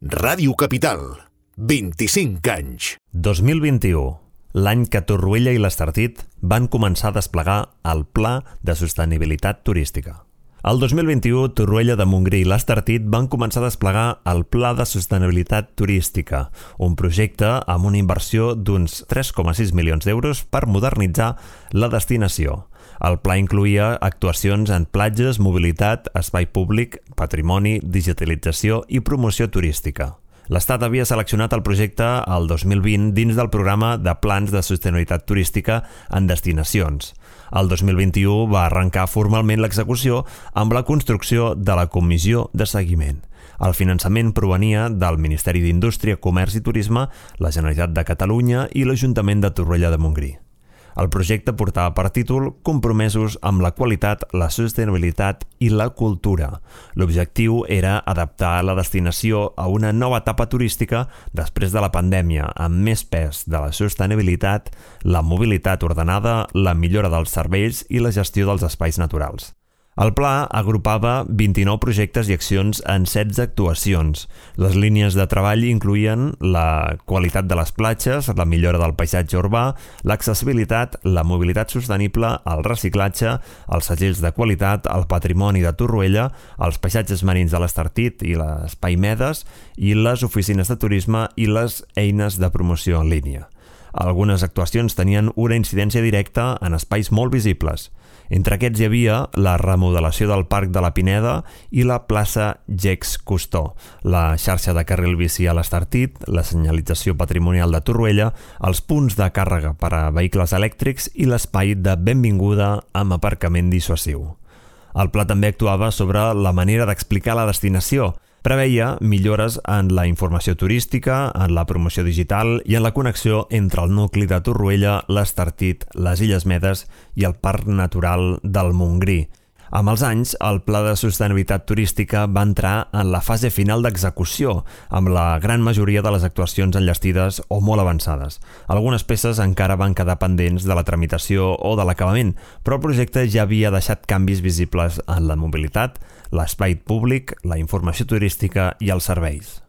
Ràdio Capital, 25 anys. 2021, l'any que Torroella i l'Estartit van començar a desplegar el Pla de Sostenibilitat Turística. El 2021, Torroella de Montgrí i l'Estartit van començar a desplegar el Pla de Sostenibilitat Turística, un projecte amb una inversió d'uns 3,6 milions d'euros per modernitzar la destinació. El pla incloïa actuacions en platges, mobilitat, espai públic, patrimoni, digitalització i promoció turística. L'Estat havia seleccionat el projecte el 2020 dins del programa de plans de sostenibilitat turística en destinacions. El 2021 va arrencar formalment l'execució amb la construcció de la Comissió de Seguiment. El finançament provenia del Ministeri d'Indústria, Comerç i Turisme, la Generalitat de Catalunya i l'Ajuntament de Torroella de Montgrí. El projecte portava per títol Compromesos amb la qualitat, la sostenibilitat i la cultura. L'objectiu era adaptar la destinació a una nova etapa turística després de la pandèmia, amb més pes de la sostenibilitat, la mobilitat ordenada, la millora dels serveis i la gestió dels espais naturals. El pla agrupava 29 projectes i accions en 16 actuacions. Les línies de treball incloïen la qualitat de les platges, la millora del paisatge urbà, l'accessibilitat, la mobilitat sostenible, el reciclatge, els segells de qualitat, el patrimoni de Torroella, els paisatges marins de l'Estartit i l'Espai Medes i les oficines de turisme i les eines de promoció en línia. Algunes actuacions tenien una incidència directa en espais molt visibles. Entre aquests hi havia la remodelació del Parc de la Pineda i la plaça Gex Custó, la xarxa de carril bici a l'Estartit, la senyalització patrimonial de Torroella, els punts de càrrega per a vehicles elèctrics i l'espai de benvinguda amb aparcament dissuasiu. El pla també actuava sobre la manera d'explicar la destinació. Preveia millores en la informació turística, en la promoció digital i en la connexió entre el nucli de Torroella, l'Estartit, les Illes Medes i el Parc Natural del Montgrí. Amb els anys, el Pla de Sostenibilitat Turística va entrar en la fase final d'execució, amb la gran majoria de les actuacions enllestides o molt avançades. Algunes peces encara van quedar pendents de la tramitació o de l'acabament, però el projecte ja havia deixat canvis visibles en la mobilitat, l'espai públic, la informació turística i els serveis.